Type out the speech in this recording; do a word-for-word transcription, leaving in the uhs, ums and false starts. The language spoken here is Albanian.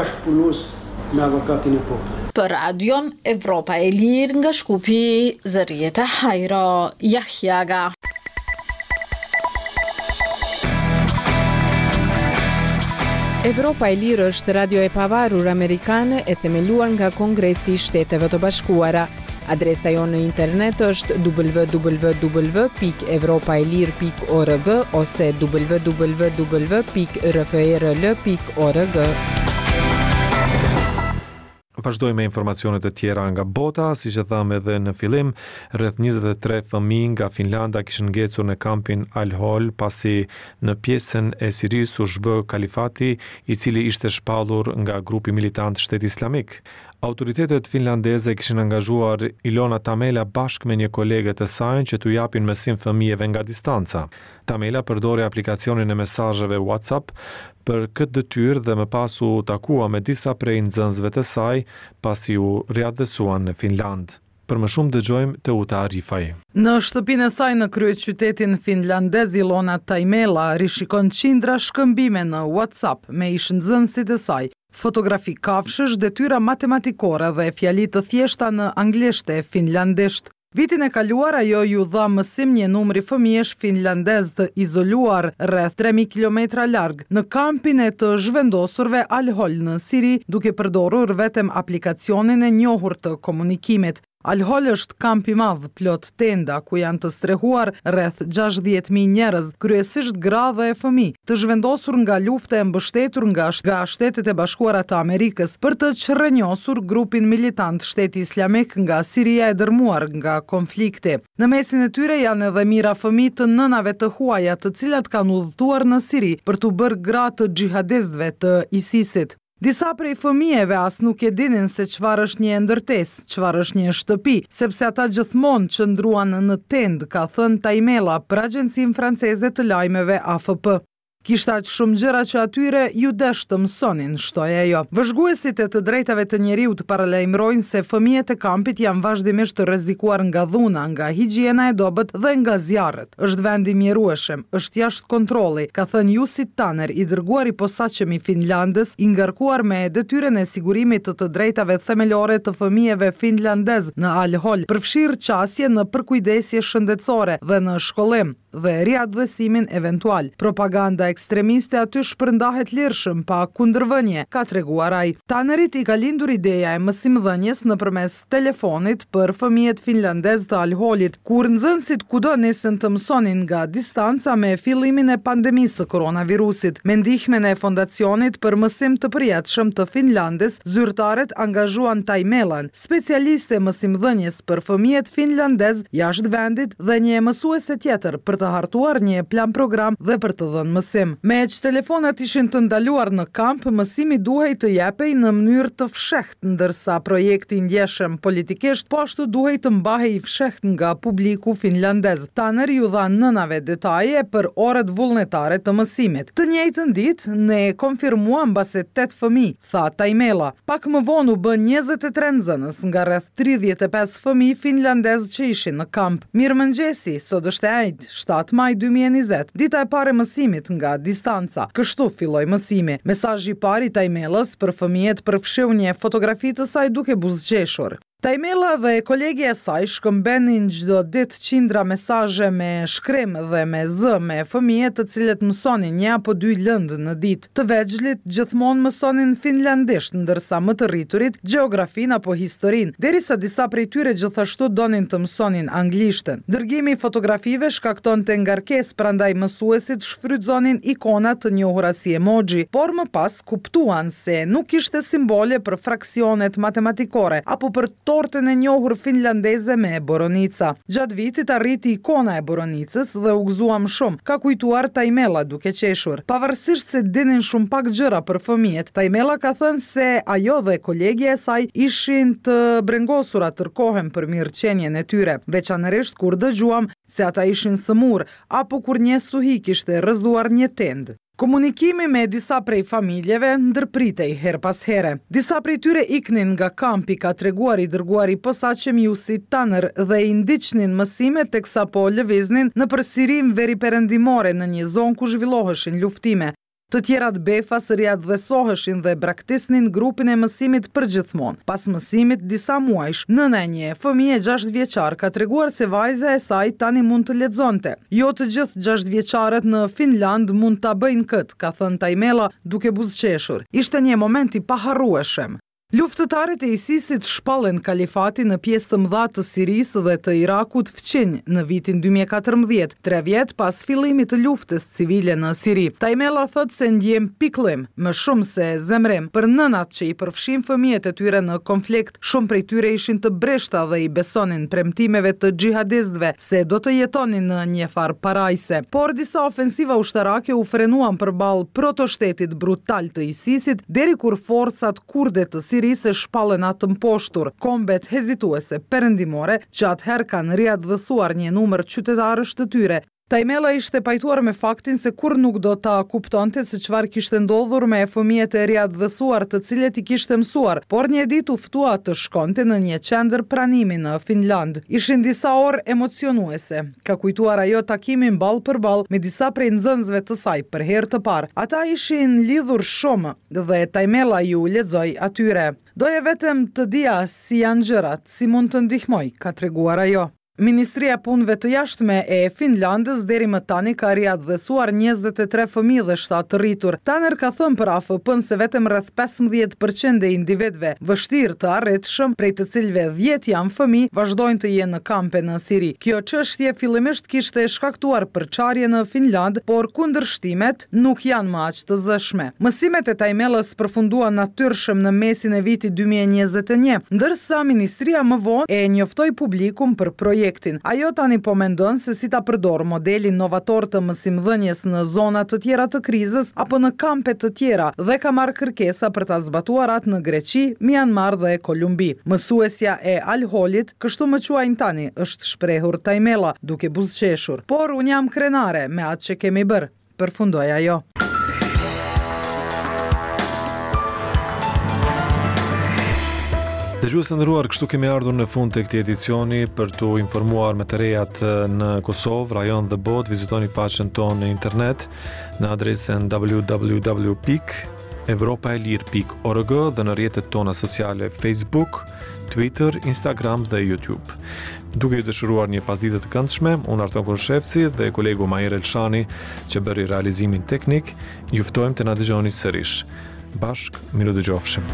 Bashkëpunues me Avokatin e Popullit. Për Radion Evropa e Lirë nga Shkupi, Zërijeta Hajro Jahjaga. Evropa e Lirë është radio e pavarur amerikane e themeluar nga Kongresi i Shteteve të Bashkuara. Adresa jonë në internet është w w w pikë evropa e lirë pikë org ose w w w pikë r f r l pikë org. Vazhdojmë me informacionet e tjera nga bota, siç e thamë edhe në fillim, rreth njëzet e tre fëmijë nga Finlanda kishin ngecur në kampin Al-Hol, pasi në pjesën e Sirisë u zhbë kalifati, i cili ishte shpallur nga grupi militant Shteti Islamik. Autoritetet finlandeze kishin angazhuar Ilona Tamela bashkë me një kolege të saj që t'u japin mësim fëmijëve nga distanca. Tamela përdori aplikacionin e mesazheve WhatsApp për këtë detyrë dhe më pas u takua me disa prej nxënësve të saj pasi u riatdhesuan në Finland. Për më shumë dëgjojmë Teuta Arifaj. Në shtëpinë e saj në kryeqytetin finlandez, Ilona Taimela rishikon qindra shkëmbime në WhatsApp me ish nxënësit e saj, fotografi kafshësh, detyra matematikore dhe fjali të thjeshta në anglisht e finlandisht. Vitin e kaluar ajo ju dha mësim një numri fëmijësh finlandez të izoluar rreth tre mijë kilometra larg në kampin e të zhvendosurve Al-Hol në Siri, duke përdorur vetëm aplikacionin e njohur të komunikimit. Al-Hol është kamp i madh plot tenda ku janë të strehuar rreth gjashtëdhjetë mijë njerëz, kryesisht gra dhe fëmijë, të zhvendosur nga lufta e mbështetur nga, nga Shtetet e Bashkuara të Amerikës për të çrrënjosur grupin militant Shteti Islamik nga Siria e dërmuar nga konflikti. Në mesin e tyre janë edhe mijëra fëmijë të nënave të huaja, të cilat kanë udhëtuar në Siri për t'u bërë gra të xhihadistëve të ISIS-it. Disa prej fëmijëve as nuk e dinin se çfarë është një ndërtesë, çfarë është një shtëpi, sepse ata gjithmonë qëndruan në tendë, ka thënë Taimela për agjencinë franceze të lajmeve A F P. Kishte aq shumë gjëra që atyre ju desh të mësonin, shtoi ajo. Vëzhguesit e të drejtave të njeriut paralajmërojnë se fëmijët e kampit janë vazhdimisht të rrezikuar nga dhuna, nga higjiena e dobët dhe nga zjarret. Është vend i mjerueshëm, është jashtë kontrolli, ka thënë Jussi Tanner, i dërguar i posaçëm i Finlandës, i ngarkuar me detyrën e sigurimit të të drejtave themelore të fëmijëve finlandez në Al-Hol, përfshirë qasje në përkujdesje shëndetësore dhe në shkollim dhe riatdhesimin eventual. Propaganda ekstremiste aty shpërndahet lirshëm pa kundërvënie, ka treguar ai. Tannerit i ka lindur ideja e mësimdhënies nëpërmes telefonit për fëmijët finlandez të Al-Holit, kur nxënësit kudo nisën të mësonin nga distanca me fillimin e pandemisë së koronavirusit. Me ndihmën e Fondacionit për Mësim të Përjetshëm të Finlandës, zyrtarët angazhuan Taimelan, specialiste mësimdhënies për fëmijët finlandez jashtë vendit, dhe një mësuese tjetër për të hartuar një plan program dhe për të dhënë mësim. Me që telefonat ishin të ndaluar në kamp, mësimi duhej të jepej në mënyrë të fshehtë, ndërsa projekti i ndjeshëm politikisht po ashtu duhej të mbahej i fshehtë nga publiku finlandez. Tanner ju dha nënave detaje për orët vullnetare të mësimit. Të njëjtën ditë, ne konfirmuam mbase tetë fëmijë, tha Taimela. Pak më vonë u bë njëzet e tre nxënës nga rreth tridhjetë e pesë fëmijë finlandez që ishin në kamp. Mirëmëngjesi, sot është e enjtë, shtatë maj dy mijë e njëzet, dita e parë e mësimit nga distanca. Kështu filloi mësimi. Mesazhi i parë i Taimelës për fëmijët përfshiu një fotografi të saj duke buzëqeshur. Taimela dhe kolegja e saj shkëmbenin çdo ditë qindra mesazhe me shkrim dhe me zë me fëmijët, të cilët mësonin një apo dy lëndë në ditë. Të vegjlit gjithmonë mësonin finlandisht, ndërsa më të rriturit gjeografinë apo historinë, derisa disa prej tyre gjithashtu donin të mësonin anglishtën. Dërgimi i fotografive shkaktonte ngarkesë, prandaj mësuesit shfrytëzonin ikona të njohura si emoji, por më pas kuptuan se nuk kishte simbole për fraksionet matematikore apo për tortën e njohur finlandeze me boronica. Gjatë vitit arriti ikona e boronicës dhe u gëzuam shumë, ka kujtuar Taimela duke qeshur. Pavarësisht se dinin shumë pak gjëra për fëmijët, Taimela ka thënë se ajo dhe kolegja e saj ishin të brengosura tërë kohën për mirëqenien e tyre, veçanërisht kur dëgjuam se ata ishin sëmur apo kur një stuhi kishte rrëzuar një tendë. Komunikimi me disa prej familjeve ndërpritej her pas here. Disa prej tyre iknin nga kampi, ka treguar i dërguari i posaçëm Jussi Tanner, dhe i ndiqnin mësimet teksa po lëviznin nëpër Sirinë veriperëndimore, në një zonë ku zhvilloheshin luftime. Të tjerat befas riatdhesoheshin dhe braktisnin grupin e mësimit përgjithmonë. Pas mësimit disa muajsh, nëna e një fëmije gjashtë vjeçar ka treguar se vajza e saj tani mund të lexonte. Jo të gjithë gjashtë vjeçarët në Finland mund ta bëjnë këtë, ka thënë Taimela duke buzëqeshur. Ishte një moment i paharrueshëm. Luftëtarët e ISIS-it shpallën kalifatin në pjesë të mëdha të Sirisë dhe të Irakut fqinj në vitin dy mijë e katërmbëdhjetë, tre vjet pas fillimit të luftës civile në Siri. Taimela thotë se ndjen pikëllim, më shumë se zemrim, për nënat që i përfshin fëmijët e tyre në konflikt. Shumë prej tyre ishin të brishta dhe i besonin premtimeve të xhihadistëve se do të jetonin në një farë parajse. Por disa ofensiva ushtarake u frenuan përballë protoshtetit brutal të ISIS-it, deri kur forcat kurde të Sirisë se shpallën atë mposhtur. Kombet hezituese perëndimore që atëherë kanë riatdhesuar një numër qytetarësh të tyre. Taimela ishte pajtuar me faktin se kur nuk do ta kuptonte se çfarë kishte ndodhur me fëmijët e riatdhesuar të cilët i kishte mësuar, por një ditë u ftua të shkonte në një qendër pranimi në Finland. Ishin disa orë emocionuese, ka kujtuar ajo takimin ball për ball me disa prej nxënësve të saj për herë të parë. Ata ishin lidhur shumë dhe Taimela ju lexoi atyre. Doja vetëm të dija si janë gjërat, si mund të ndihmoj, ka treguar ajo. Ministria e Punëve të Jashtme e Finlandës deri më tani ka riatdhesuar njëzet e tre fëmijë dhe shtatë të rritur. Tanner ka thënë për A F P-n se vetëm rreth pesëmbëdhjetë përqind e individëve vështirë të arritshëm, prej të cilëve dhjetë janë fëmijë, vazhdojnë të jenë në kampe në Siri. Kjo çështje fillimisht kishte shkaktuar përçarje në Finland, por kundërshtimet nuk janë më aq të zëshme. Mësimet e Taimelës përfunduan natyrshëm në mesin e vitit dy mijë e njëzet e një, ndërsa ministria më vonë e njoftoi publikun për projektin. Ajo tani po mendon se si ta përdor modelin novator të mësimdhënies në zona të tjera të krizës apo në kampe të tjera dhe ka marrë kërkesa për ta zbatuar atë në Greqi, Myanmar dhe Kolumbi. Mësuesja e Al-Holit, kështu më quajnë tani, është shprehur Taimela duke buzëqeshur. Por unë jam krenare me atë që kemi bërë, përfundoi ajo. Dëgjues të nderuar, kështu kemi ardhur në fund të këtij edicioni. Për t'u informuar me të rejat në Kosovë, rajon dhe botë, vizitoni faqen tonë në internet në adresën w w w pikë evropa e lirë pikë org dhe në rrjetet tona sociale Facebook, Twitter, Instagram dhe YouTube. Duke ju dëshiruar një pasdite të këndshme, unë Arton Koshevci dhe kolegu Mahir Elshani që bëri realizimin teknik, ju ftojmë të na dëgjoni sërish. Bashk, mirudëgjofshim.